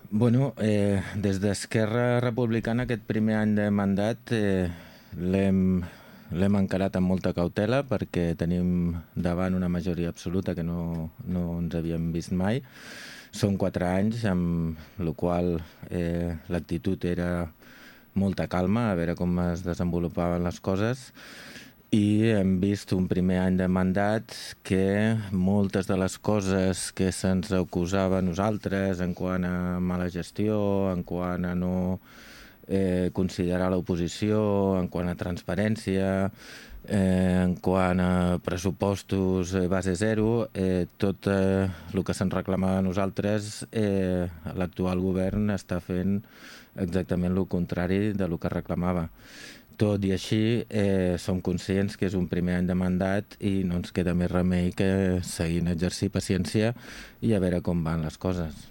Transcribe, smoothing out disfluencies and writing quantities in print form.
Des d'Esquerra Republicana aquest primer any de mandat l'hem encarat amb molta cautela perquè tenim davant una majoria absoluta que no ens havíem vist mai. Són 4 anys, amb la qual l'actitud era molta calma, a veure com es desenvolupaven les coses, i hem vist un primer any de mandat que moltes de les coses que se'ns acusava a nosaltres en quant a mala gestió, en quant a no considerar l'oposició, en quant a transparència, en quant a pressupostos base zero, tot el que se'ns reclamava a nosaltres, l'actual govern està fent exactament el contrari de lo que reclamava. Tot i així, som conscients que és un primer any de mandat i no ens queda més remei que seguir en exercir paciència i a veure com van les coses.